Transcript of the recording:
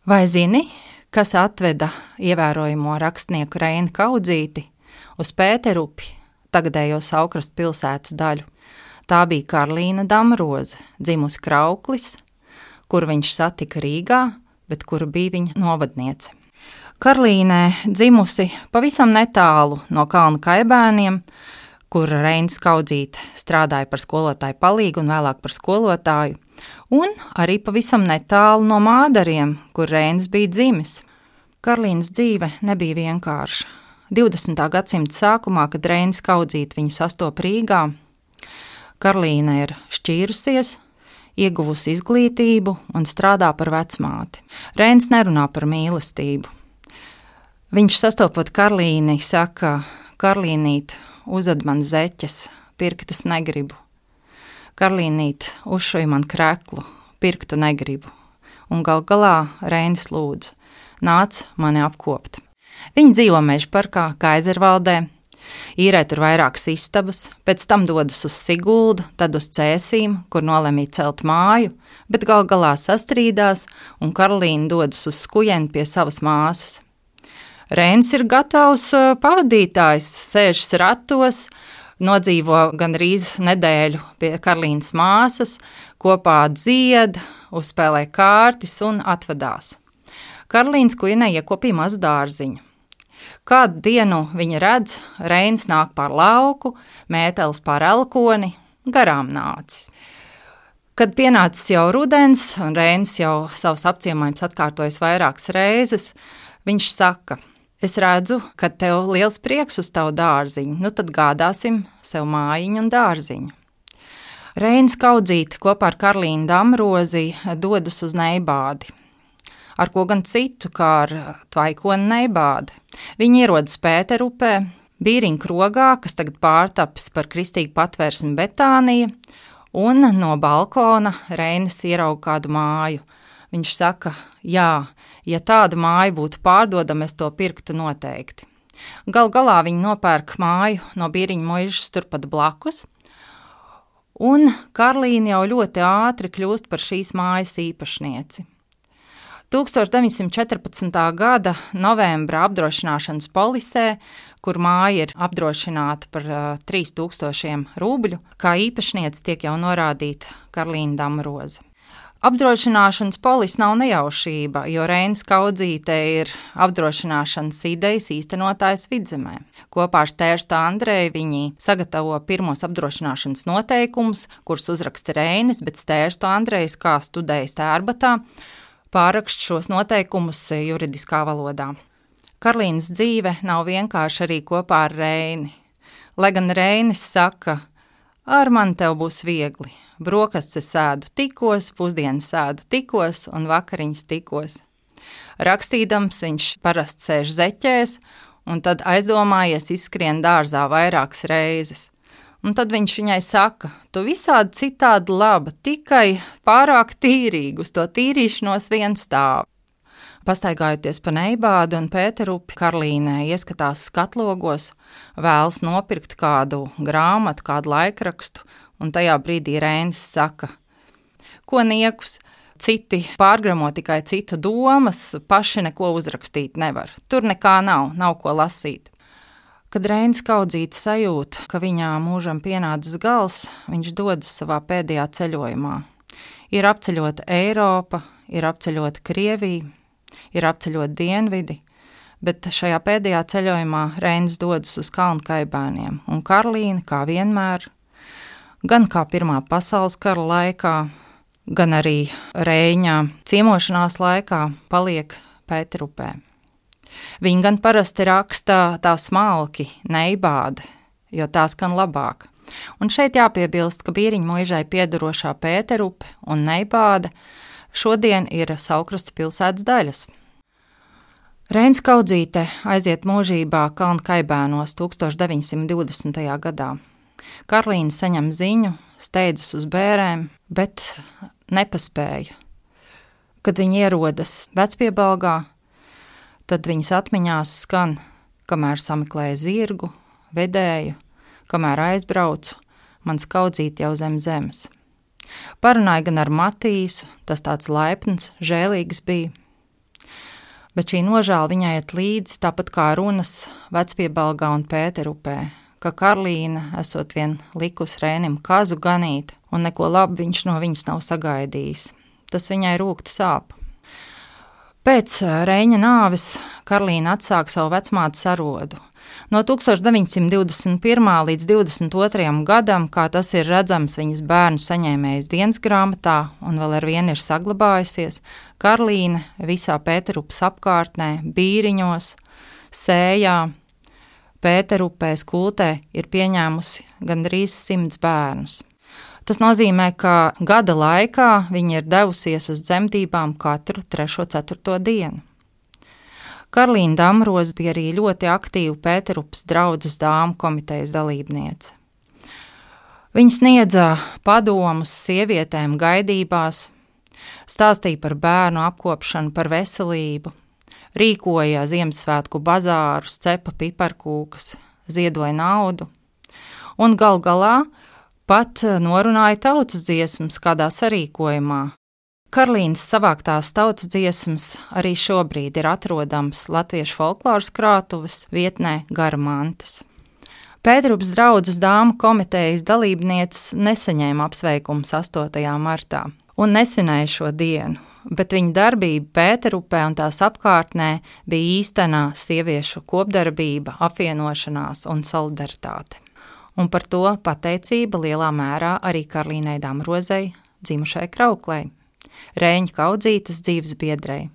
Vai zini, kas atveda ievērojamo rakstnieku Reini Kaudzīti uz Pēterupi, tagadējo Saukrastu pilsētas daļu? Tā bija Karlīna Damroze, dzimusi Krauklis, kuru viņš satika Rīgā, bet kura bija viņa novadniece. Karlīnē dzimusi pavisam netālu no Kalna Kaibēniem, kur Reinis Kaudzīte strādāja par skolotāju palīgu un vēlāk par skolotāju, un arī pavisam netālu no Mādariem, kur Reinis bija dzimis. Karlīnas dzīve nebija vienkārša. 20. gadsimta sākumā, kad Reinis Kaudzīte viņu sastop Rīgā, Karlīna ir šķīrusies, ieguvusi izglītību un strādā par vecmāti. Reinis nerunā par mīlestību. Viņš sastopot Karlīni saka: Karlīnīt, uzved man zeķes, pirktas negribu. Karlīnīt, uzšuj man kreklu, pirktu negribu. Un gal galā Reinis lūdz: nāc mani apkopt. Viņi dzīvo Mežparkā, Kaizervaldē, īrē tur vairākas istabas, pēc tam dodas uz Siguldu, tad uz Cēsīm, kur nolemj celt māju, bet gal galā sastrīdās, un Karlīna dodas uz Skujeni pie savas māsas. Reinis ir gatavs pavadītājs, sēžas ratos, nodzīvo gandrīz nedēļu pie Karlīnas māsas, kopā dzied, uzspēlē kārtis un atvadās. Karlīnas kujenē iekopīja mazu dārziņu. Kādu dienu viņa redz, Reinis nāk pār lauku, mētelis pār elkoni, garām nācis. Kad pienācis jau rudens, un Reinis jau savus apciemojumus atkārtojis vairākas reizes, viņš saka: es redzu, ka tev liels prieks uz tavu dārziņu, nu tad gādāsim sev mājiņu un dārziņu. Reinis Kaudzīte kopā ar Karlīnu Damrozi dodas uz Neibādi. Ar ko gan citu, kā ar Tvaikoni Neibādi. Viņi ierodas Pēterupē, Bīriņu krogā, kas tagad pārtapis par kristīgu patvērsmi Betānija, un no balkona Reinis ierauga kādu māju. Viņš saka: jā, ja tāda māja būtu pārdodama, es to pirktu noteikti. Gal galā viņi nopērk māju no Bīriņu muižas turpat blakus, un Karlīna jau ļoti ātri kļūst par šīs mājas īpašnieci. 1914. gada novembra apdrošināšanas polisē, kur māja ir apdrošināta par 3000 rubļu, kā īpašniece tiek jau norādīta Karlīna Damroze. Apdrošināšanas polis nav nejaušība, jo Reinis Kaudzīte ir apdrošināšanas idejas īstenotājs Vidzemē. Kopā ar Stērstu Andreju viņi sagatavo pirmos apdrošināšanas noteikumus, kurus uzraksta Reinis, bet Stērstu Andrejs, kā studējis Tērbatā, pārrakst šos noteikumus juridiskā valodā. Karlīnas dzīve nav vienkārši arī kopā ar Reini. Lai gan Reinis saka: ar mani tev būs viegli. Brokastes sēdu tikos, pusdienas sēdu tikos un vakariņas tikos. Rakstīdams viņš parasti sēž zeķēs un tad aizdomājies izskrien dārzā vairākas reizes. Un tad viņš viņai saka: tu visādi citādi laba, tikai pārāk tīrīgi, uz to tīrīšanos vien stāv. Pastaigājoties pa Neibādi un Pēterupi, Karlīnē ieskatās skatlogos, vēlas nopirkt kādu grāmatu, kādu laikrakstu, un tajā brīdī Reinis saka: ko niekus, citi pārgramo tikai citu domas, paši neko uzrakstīt nevar, tur nekā nav ko lasīt. Kad Reinis Kaudzīte sajūt, ka viņā mūžam pienācis gals, viņš dodas savā pēdējā ceļojumā. Ir apceļota Eiropa, ir apceļota Krievija, ir apceļota Dienvidi, bet šajā pēdējā ceļojumā Reinis dodas uz Kalna Kaibēniem, un Karlīna, kā vienmēr, gan kā Pirmā pasaules kara laikā, gan arī Reiņā ciemošanās laikā paliek Pēterupē. Viņi gan parasti raksta tā smalki Neibāde, jo tā skan labāk. Un šeit jāpiebilst, ka Bīriņu muižai piederošā Pēterupe un Neibāde šodien ir Saukrastu pilsētas daļas. Reinis Kaudzīte aiziet mūžībā Kalna Kaibēnos 1920. gadā. Karlīna saņem ziņu, steidzas uz bērēm, bet nepaspēja. Kad viņi ierodas Vecpiebalgā, tad viņas atmiņās skan: kamēr sameklēju zirgu, vedēju, kamēr aizbraucu, mans Kaudzīte jau zem zemes. Parunāja gan ar Matīsu, tas tāds laipns, žēlīgs bija. Bet šī nožēla viņai iet līdzi, tāpat kā runas Vecpiebalgā un Pēterupē, ka Karlīna esot vien likus Rēnim kazu ganīt, un neko labu viņš no viņas nav sagaidījis. Tas viņai rūkti sāp. Pēc Reņa nāves Karlīna atsāk savu vecmātes arodu. No 1921. līdz 22. gadam, kā tas ir redzams viņas bērnu saņēmējas dienas grāmatā un vēl ar vienu ir saglabājusies, Karlīna visā Pēterupas apkārtnē, Bīriņos, Sējā, Pēterupē, Skultē ir pieņēmusi gandrīz 100 bērnus. Tas nozīmē, ka gada laikā viņa ir devusies uz dzemdībām katru 3. 4. dienu. Karlīna Damroze bija arī ļoti aktīva Pēterupas draudzes dāmu komitejas dalībniece. Viņa sniedza padomus sievietēm gaidībās, stāstīja par bērnu apkopšanu, par veselību, rīkoja Ziemassvētku bazārus, cepa piparkūkas, ziedoja naudu un gal galā pat norunāja tautas dziesmas kādā sarīkojumā. Karlīnas savāktās tautas dziesmas arī šobrīd ir atrodams Latviešu folkloras krātuves vietnē Garmantas. Pēterupas draudzes dāmu komitejas dalībnieces nesaņēma apsveikumus 8. martā un nesvinēja šo dienu, bet viņa darbība Pēterupē un tās apkārtnē bija īstenā sieviešu kopdarbība, apvienošanās un solidaritāte. Un par to pateicība lielā mērā arī Karlīnai Damrozei, dzimušai Krauklei, Rēņa Kaudzītes dzīves biedrei.